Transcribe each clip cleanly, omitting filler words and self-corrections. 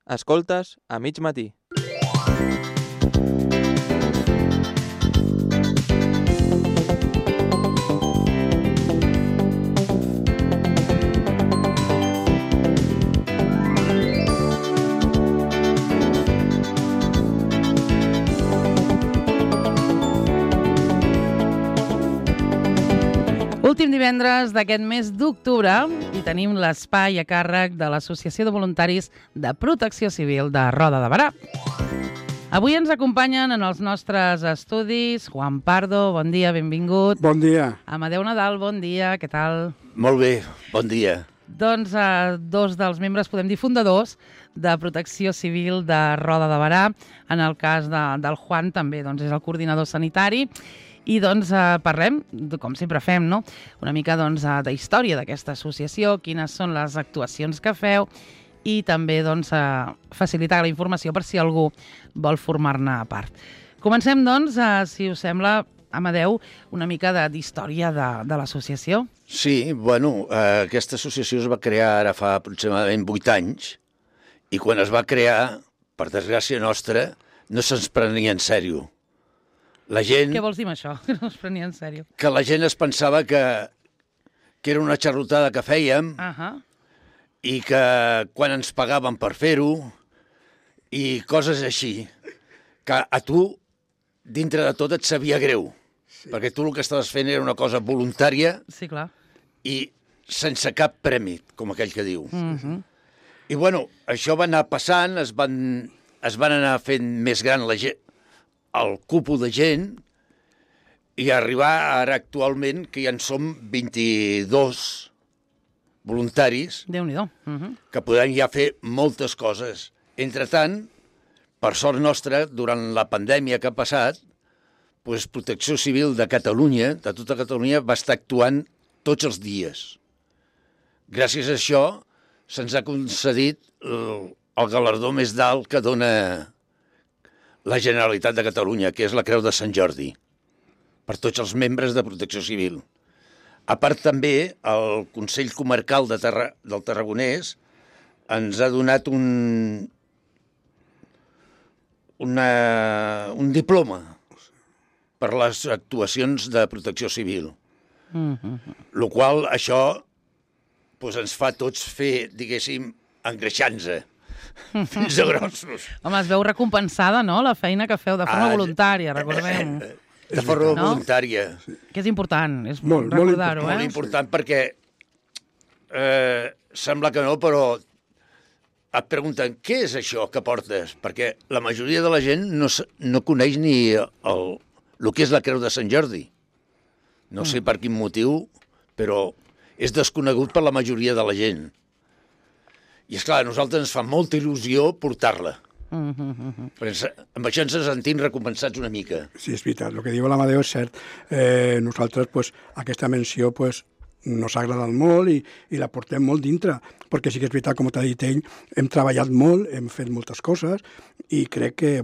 Escoltes a mig matí. Últim divendres d'aquest mes d'octubre i tenim l'espai a càrrec de l'Associació de Voluntaris de Protecció Civil de Roda de Berà. Avui ens acompanyen en els nostres estudis Juan Pardo, bon dia, benvingut. Bon dia. Amadeu Nadal, bon dia, què tal? Molt bé, bon dia. Doncs dos dels membres, podem dir fundadors, de Protecció Civil de Roda de Berà. En el cas del Juan també doncs, és el coordinador sanitari. I doncs parlem, com sempre fem, no? Una mica doncs, de història d'aquesta associació, quines són les actuacions que feu i també doncs, facilitar la informació per si algú vol formar-ne part. Comencem, doncs, si us sembla, Amadeu, una mica d'història de l'associació. Sí, bueno, aquesta associació es va crear ara fa aproximadament 8 anys i quan es va crear, per desgràcia nostra, no se'ns prenia en sèrio. La gent... Què vols dir amb això? Que no es prenia en sèrio. Que la gent es pensava que era una xarlotada que fèiem i que quan ens pagaven per fer-ho i coses així, que a tu, dintre de tot, et sabia greu, perquè tu el que estaves fent era una cosa voluntària i sense cap premi, com aquell que diu. I bueno, això va anar passant, es van anar fent més gran la gent, el cupo de gent, i arribar ara actualment que ja en som 22 voluntaris que podem ja fer moltes coses. Entretant, per sort nostra, durant la pandèmia que ha passat, doncs Protecció Civil de Catalunya, de tota Catalunya, va estar actuant tots els dies. Gràcies a això se'ns ha concedit el galardó més d'alt que dona la Generalitat de Catalunya, que és la Creu de Sant Jordi, per tots els membres de Protecció Civil. A part també, el Consell Comarcal del Tarragonès ens ha donat un diploma per les actuacions de Protecció Civil. Lo qual això ens fa tots fer, diguéssim, engreixant-se. Fins a grossos. Home, es veu recompensada, no?, la feina que feu de forma voluntària, recordem. De forma voluntària. Que és important, és recordar-ho, Molt important perquè sembla que no, però et pregunten què és això que portes? Perquè la majoria de la gent no coneix ni el que és la Creu de Sant Jordi. No sé per quin motiu, però és desconegut per la majoria de la gent. I, esclar, a nosaltres ens fa molta il·lusió portar-la. Perquè amb això ens sentim recompensats una mica. Sí, és veritat. El que diu l'Amadeu és cert. Nosaltres, aquesta menció, nos ha agradat molt i la portem molt dintre. Perquè sí que és veritat, com t'ha dit ell, hem treballat molt, hem fet moltes coses i crec que,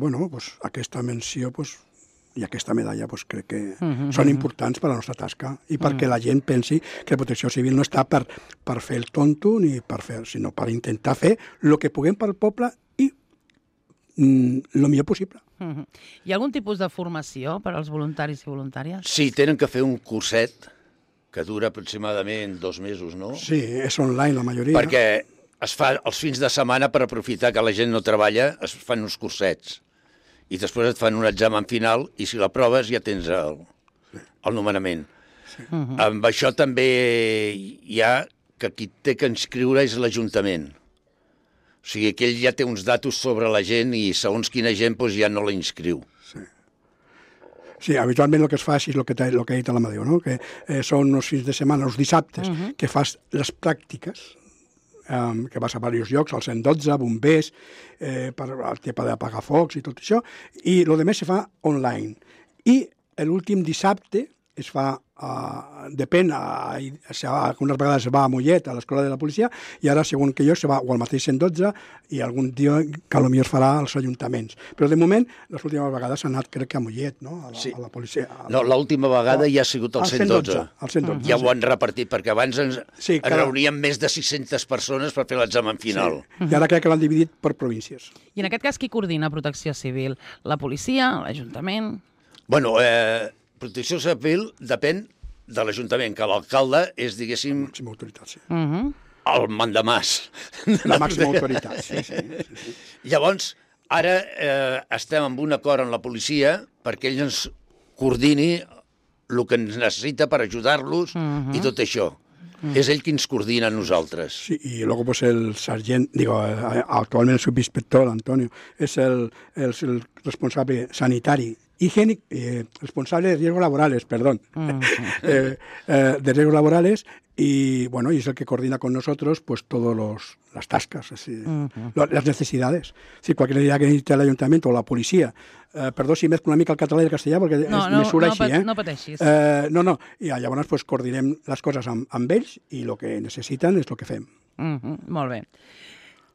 aquesta menció, i aquesta medalla crec que són importants per a la nostra tasca i perquè la gent pensi que la Protecció Civil no està per fer el tonto sinó per intentar fer el que puguem pel poble i el millor possible. Hi ha algun tipus de formació per als voluntaris i voluntàries? Sí, tenen que fer un curset que dura aproximadament 2 mesos, no? Sí, és online la majoria. Perquè es fa els fins de setmana per aprofitar que la gent no treballa, es fan uns cursets. I després et fan un examen final i si l'aproves ja tens el nomenament. Amb això també hi ha que qui té que inscriure és l'Ajuntament. O sigui que ell ja té uns datos sobre la gent i segons quina gent ja no la inscriu. Sí, habitualment el que es fa és el que ha dit l'Amadeu, no? Que són uns fins de setmana, els dissabtes, que fas les pràctiques, que vas a diversos llocs, al 112, bombers, per el tema d'apagar focs i tot això, i el més se fa online. I l'últim dissabte es fa, depèn, algunes vegades es va a Mollet, a l'escola de la policia, i ara, segons que jo, se va o al mateix 112 i algun dia que potser es farà als ajuntaments. Però de moment, les últimes vegades s'ha anat, crec que a Mollet, no? A la policia. No, l'última vegada ja ha sigut al 112. Al 112. Ja ho han repartit, perquè abans ens reuníem més de 600 persones per fer l'examen final. Sí. I ara crec que l'han dividit per províncies. I en aquest cas, qui coordina Protecció Civil? La policia, l'Ajuntament? Bueno, Protecció Civil depèn de l'Ajuntament, que l'alcalde és, diguéssim, Màxima autoritat, sí. el mandamàs. La màxima autoritat, sí. Llavors, ara estem amb un acord amb la policia perquè ell ens coordini el que ens necessita per ajudar-los i tot això. És ell qui ens coordina a nosaltres. Sí, y luego pues el sargento, actualmente el subinspector Antonio, es el responsable sanitario, higiénico, responsable de riesgos laborales, perdón, de riesgos laborales, y bueno, y es el que coordina con nosotros pues todas las tascas, así, las necesidades. Si cualquier idea que necesite el ayuntamiento o la policía, perdó si mezclo una mica el català i el castellà, perquè me surt així, No pateixis. No, i llavors pues, coordinem les coses amb ells i el que necessiten és el que fem. Molt bé.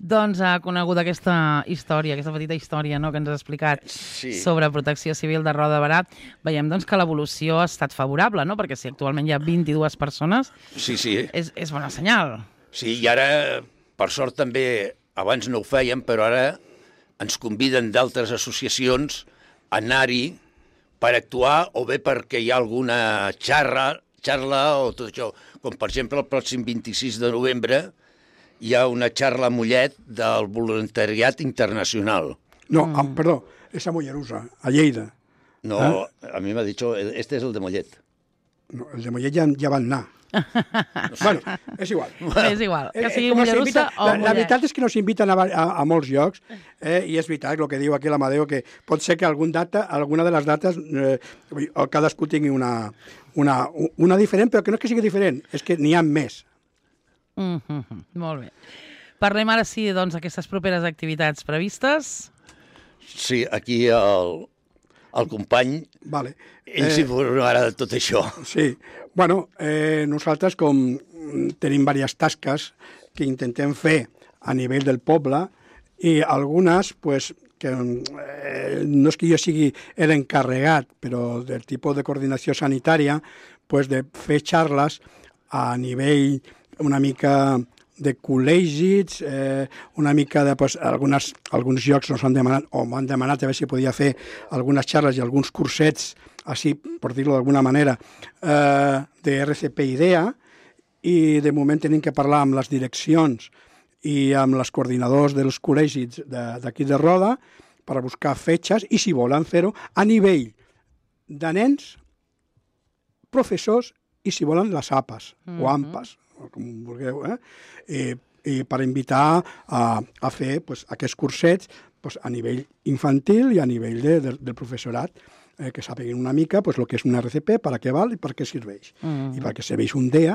Doncs ha conegut aquesta història, aquesta petita història que ens has explicat sobre Protecció Civil de Roda de Berà. Veiem doncs, que l'evolució ha estat favorable, no? Perquè si actualment hi ha 22 persones, és bona senyal. Sí, i ara, per sort també, abans no ho fèiem, però ara ens conviden d'altres associacions a anar-hi per actuar o bé perquè hi ha alguna xarra o tot això. Com per exemple el pròxim 26 de novembre hi ha una xarra a Mollet del voluntariat internacional. No, perdó, és a Mollerussa, a Lleida. No, a mi m'ha dit, este és el de Mollet. No, el de Mollet ja van anar. Bueno, és igual. És igual, que sigui Mollerussa o Mollet. La veritat és que nos inviten a molts llocs, i és veritat el que diu aquí l'Amadeu, que pot ser que alguna de les dates cadascú tingui una diferent, però que no és que sigui diferent, és que n'hi ha més. Molt bé. Parlem ara sí, doncs, d'aquestes properes activitats previstes. Sí, aquí el company, ell s'hi informarà de tot això. Sí, bueno, nosaltres com tenim diverses tasques que intentem fer a nivell del poble i algunes, pues, que no és que jo sigui l'encarregat, però del tipus de coordinació sanitària, pues, de fer xarles a nivell una mica de col·legis, una mica de... Pues, alguns llocs ens han demanat, o m'han demanat a veure si podia fer algunes xarles i alguns cursets, així, per dir-ho d'alguna manera, de RCP-IDEA, i de moment tenim que parlar amb les direccions i amb els coordinadors dels col·legis d'aquí de Roda per buscar fetges i, si volen fer-ho, a nivell de nens, professors i, si volen, les APAs o AMPAs, com vulgueu, i per invitar a fer pues, aquests cursets pues, a nivell infantil i a nivell del professorat, que sàpiguen una mica pues, el que és un RCP, per a què val i per què serveix. I per què serveix un DEA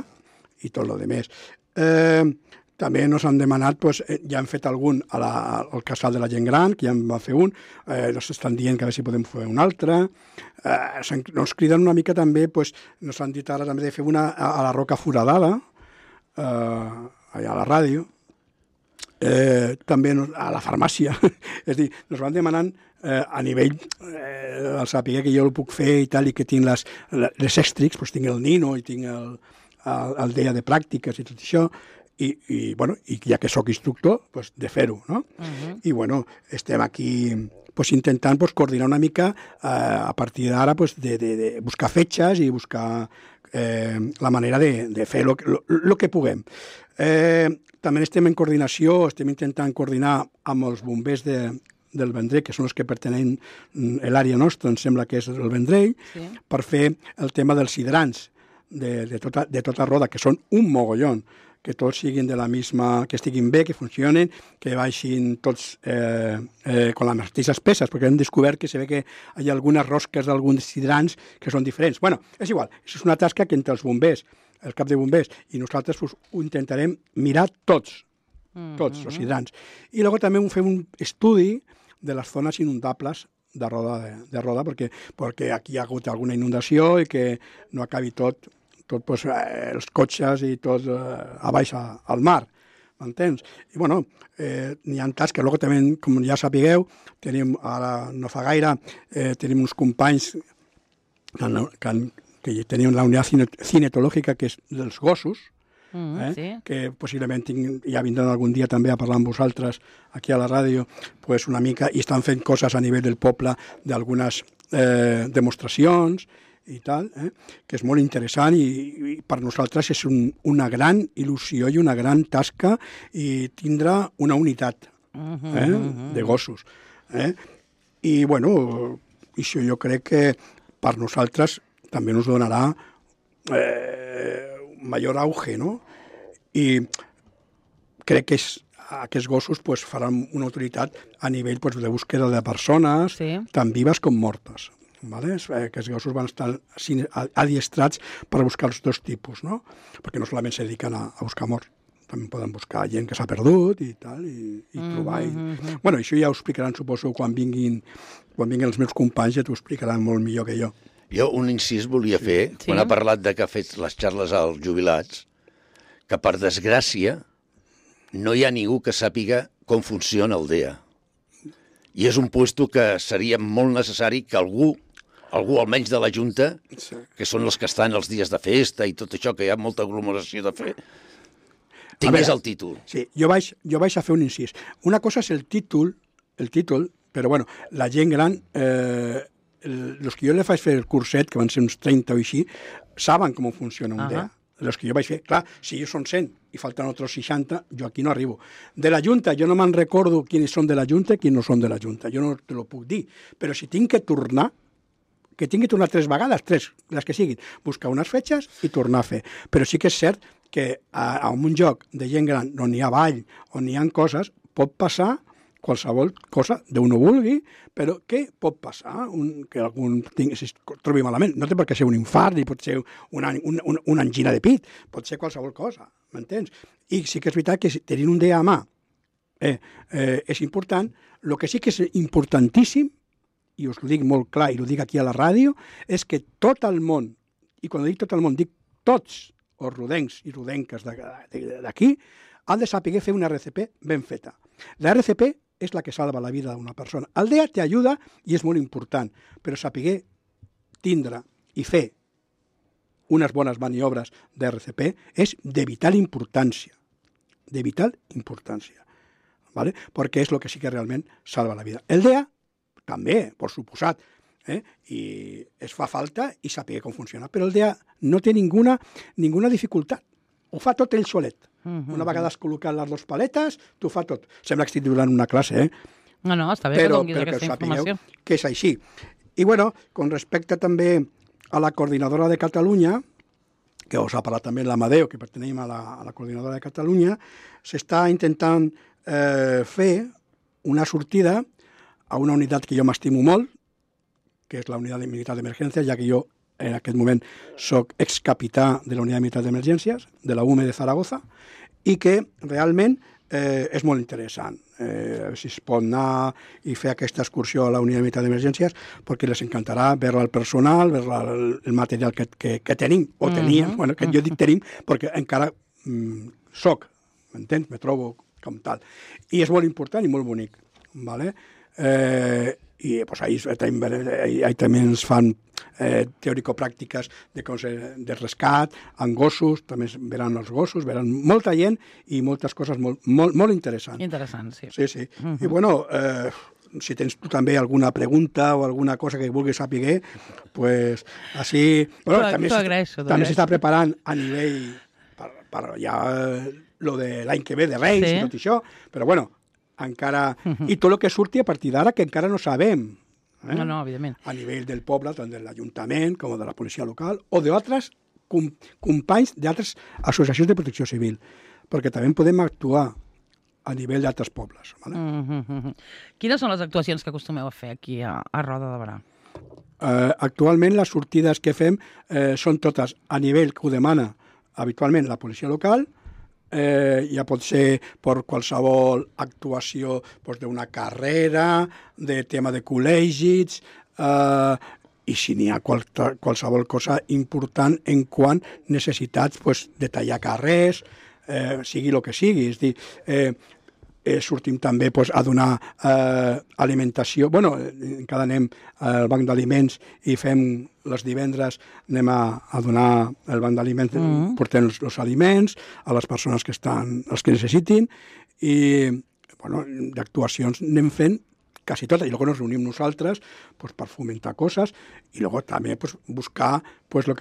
i tot el demés. També ens han demanat, pues, ja han fet algun al casal de la gent gran, que ja en va fer un, ens estan dient que a veure si podem fer un altre. Ens criden una mica també, pues, ens han dit ara també de fer una a la Roca Foradada, allà a la ràdio, també a la farmàcia. És a dir, ens van demanant a nivell, al saber que jo ho puc fer i tal, i que tinc les extrics, doncs tinc el Nino i tinc el DEA de pràctiques i tot això, i bueno, ja que sóc instructor, doncs de fer-ho, no? I bueno, estem aquí pues, intentant pues, coordinar una mica a partir d'ara pues, de buscar fetges i buscar la manera de fer el que puguem. També estem en coordinació, estem intentant coordinar amb els bombers del Vendrell, que són els que pertenen a l'àrea nostra, em sembla que és el Vendrell, per fer el tema dels hidrants de tota Roda, que són un mogollón, que tots siguin de la misma, que estiguin bé, que funcionen, que baixin tots con les mateixes peces, perquè hem descobert que se ve que hi ha algunes rosques d'alguns hidrants que són diferents. Bueno, és igual, és una tasca que entre els bombers, el cap de bombers, i nosaltres pues, ho intentarem mirar tots els hidrants. I després també fem un estudi de les zones inundables de Roda perquè aquí hi ha hagut alguna inundació i que no acabi tot pues, els cotxes i tot a baix al mar, m'entens? I bueno, n'hi ha tasques que també, com ja sapigueu, tenim ara no fa gaire, tenim uns companys que tenim la unitat cinetològica que és dels gossos, sí. que possiblement ja vindran algun dia també a parlar amb vosaltres aquí a la ràdio, pues una mica, i estan fent coses a nivell del poble d'algunes demostracions i tal, que és molt interessant i per nosaltres és una gran il·lusió i una gran tasca i tindrà una unitat de gossos. I bueno, això jo crec que per nosaltres també ens donarà major auge, no? I crec que aquests gossos pues, faran una utilitat a nivell pues, de búsqueda de persones, tant vives com mortes. ¿Vale? Aquests gossos van estar adiestrats per buscar els dos tipus, no? Perquè no solament se dediquen a buscar morts, també poden buscar gent que s'ha perdut i tal, i trobar. Bueno, això ja ho explicaran, suposo, quan vinguin els meus companys, ja t'ho explicaran molt millor que jo. Jo un incís volia fer, quan ha parlat de que ha fet les xarles als jubilats, que per desgràcia no hi ha ningú que sàpiga com funciona el DEA. I és un puesto que seria molt necessari que algú almenys de la Junta, que són els que estan els dies de festa i tot això, que hi ha molta aglomeració de fer, tingués el títol. Sí, jo vaig a fer un incís. Una cosa és el títol, però bueno, la gent gran, els que jo li vaig fer el curset, que van ser uns 30 o així, saben com funciona un DEA. Els que jo vaig fer, clar, si jo són 100 i falten altres 60, jo aquí no arribo. De la Junta, jo no me'n recordo quins són de la Junta i quins no són de la Junta, jo no te lo puc dir, però si tinc que tornar, que tingui que tornar 3 vegades, 3, les que siguin, buscar unes fetges i tornar a fer. Però sí que és cert que en un lloc de gent gran on hi ha ball, on hi ha coses, pot passar qualsevol cosa d'on no vulgui, però què pot passar? Que algun es trobi malament. No té per què ser un infart, ni pot ser una angina de pit, pot ser qualsevol cosa, m'entens? I sí que és veritat que tenint un DEA a mà és important. El que sí que és importantíssim, i us ho dic molt clar, i ho dic aquí a la ràdio, és que tot el món, i quan dic tot el món, dic tots els rodencs i rodenques d'aquí, han de saber fer una RCP ben feta. La RCP és la que salva la vida d'una persona. El DEA t'ajuda i és molt important, però saber tindre i fer unes bones maniobres d'RCP és de vital importància. De vital importància. ¿Vale? Perquè és el que sí que realment salva la vida. El DEA també, per suposat, i es fa falta i saber com funciona. Però el DEA no té ninguna dificultat. Ho fa tot ell solet. Una vegada has col·locat les 2 paletes, t'ho fa tot. Sembla que estic donant una classe, No, està bé que donis aquesta informació. Que és així. I bueno, con respecte també a la coordinadora de Catalunya, que us ha parlat també l'Amadeu, que pertenem a la coordinadora de Catalunya, s'està intentant fer una sortida a una unitat que jo m'estimo molt, que és la unitat militar d'emergències, ja que jo en aquest moment soc excapità de la unitat militar d'emergències, de la UME de Zaragoza, i que realment és molt interessant. Si es pot anar i fer aquesta excursió a la unitat militar d'emergències, perquè les encantarà veure el personal, veure el material que tenim, o teníem, bueno, que jo dic tenim, perquè encara soc, m'entens? Me trobo com tal. I és molt important i molt bonic, ¿vale? I pues, ahí també ens fan teòrico-pràctiques de rescat, amb gossos, també veran els gossos, veran molta gent i moltes coses molt interessants. Interessants, sí. Sí. I bueno, si tens tu també alguna pregunta o alguna cosa que vulguis saber, pues així... Bueno, també s'està preparant a nivell per ja lo de l'any que ve de Reis i tot això, però bueno, encara... I tot el que surti a partir d'ara que encara no sabem. No, evidentment. A nivell del poble, tant de l'Ajuntament com de la policia local, o d'altres companys d'altres associacions de protecció civil, perquè també podem actuar a nivell d'altres pobles. Vale? Quines són les actuacions que acostumeu a fer aquí a Roda de Berà? Actualment les sortides que fem són totes a nivell que ho demana habitualment la policia local, ja pot ser per qualsevol actuació d'una carrera, de tema de col·legis, i si n'hi ha qualsevol cosa important en quant necessitats de tallar carrers, sigui el que sigui. És dir, sortim també a donar alimentació. Bueno, encara anem al banc d'aliments i fem les divendres, anem a donar el banc d'aliments, portem els aliments a les persones els que necessitin, i d'actuacions anem fent quasi totes, i després ens reunim nosaltres per fomentar coses, i també buscar el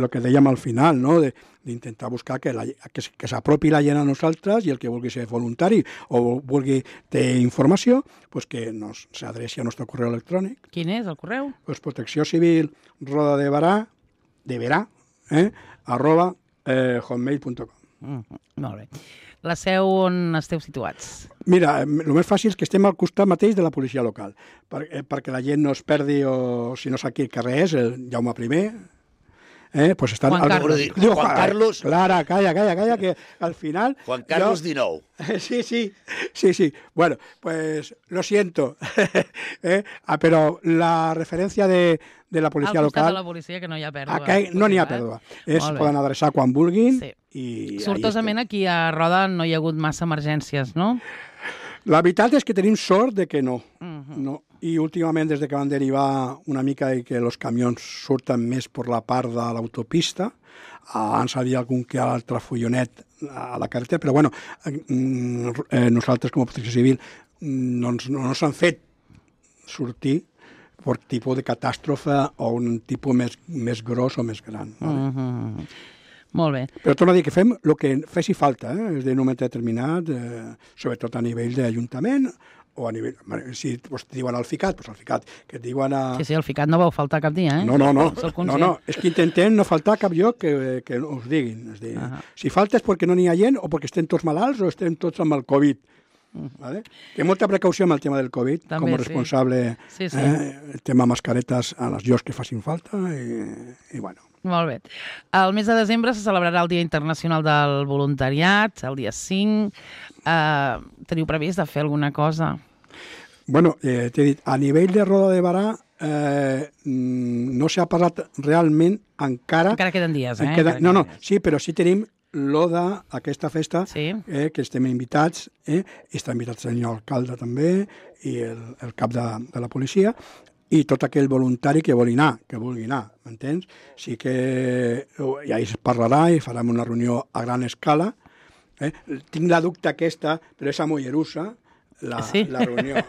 que dèiem al final, d'intentar buscar que s'apropi la gent a nosaltres, i el que vulgui ser voluntari o vulgui tenir informació, que s'adreci al nostre correu electrònic. Quin és el correu? Protecció Civil Roda de Berà, @hotmail.com. Molt bé. La seu on esteu situats? Mira, el més fàcil és que estem al costat mateix de la policia local, perquè la gent no es perdi, o si no sap quin carrer és, el Jaume I, estan... Juan Carlos. Juan Carlos... Clara, calla, que al final... Juan Carlos XIX. Sí. Bueno, pues lo siento, però la referència de la policia local... Al costat de la policia, que no hi ha pèrdua. No n'hi ha pèrdua. Poden adreçar quan vulguin. Sí. Sortosament aquí a Roda no hi ha hagut massa emergències, no? La veritat és que tenim sort de que no. No. I últimament, des que van derivar una mica i que els camions surten més per la part de l'autopista, abans hi havia algun que altre follonet a la carretera, però bueno, nosaltres com a Protecció Civil no s'han fet sortir per tipus de catàstrofe o un tipus més gros o més gran. Molt bé. Però torno a dir que fem el que faci falta, és de un moment determinat, sobretot a nivell d'Ajuntament, o a nivell... Si et diuen al FICAT, doncs al FICAT, que et diuen a... Sí, al FICAT no vau faltar cap dia, eh? No, és que intentem no faltar cap lloc que us diguin. És dir, si falta és perquè no n'hi ha gent, o perquè estem tots malalts, o estem tots amb el Covid. Vale? Té molta precaució amb el tema del Covid, també, com a responsable, el tema mascaretes a les llocs que facin falta, i bueno. Molt bé. El mes de desembre se celebrarà el Dia Internacional del Voluntariat, el dia 5. Teniu previst de fer alguna cosa? Bueno, t'he dit, a nivell de Roda de Berà no s'ha parlat realment encara... Encara queden dies, sí, però sí tenim aquesta festa, que estem invitats, està invitat el senyor alcalde també, i el cap de la policia, i tot aquell voluntari que vulgui anar, m'entens? Sí que ja es parlarà i farem una reunió a gran escala. Tinc la dubte aquesta, però és a Mollerussa, la reunió.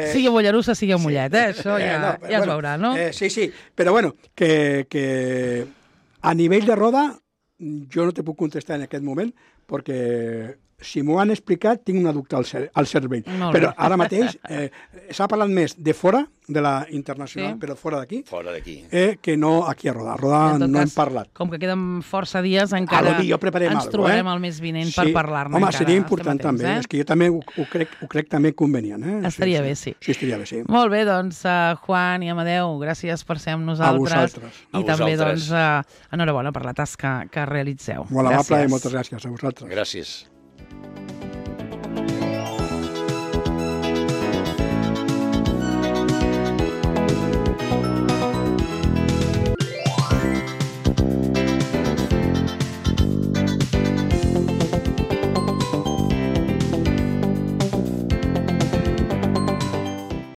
Sigui a Mollerussa, sigui a Mollet, això ja es veurà, no? Sí, però bueno, que a nivell de Roda jo no te puc contestar en aquest moment, perquè si m'ho han explicat, tinc una dubte al cervell. Però ara mateix s'ha parlat més de fora, de la internacional, però fora d'aquí, que no aquí a Roda. A Roda no hem parlat. Com que queden força dies, encara ens trobarem el mes vinent per parlar-ne. Home, seria important també. És que jo també ho crec també convenient. Estaria bé, sí. Sí, estaria bé, sí. Molt bé, doncs, Juan i Amadeu, gràcies per ser amb nosaltres. A vosaltres. I també, doncs, enhorabona per la tasca que realitzeu. Molt amable i moltes gràcies a vosaltres. Gràcies.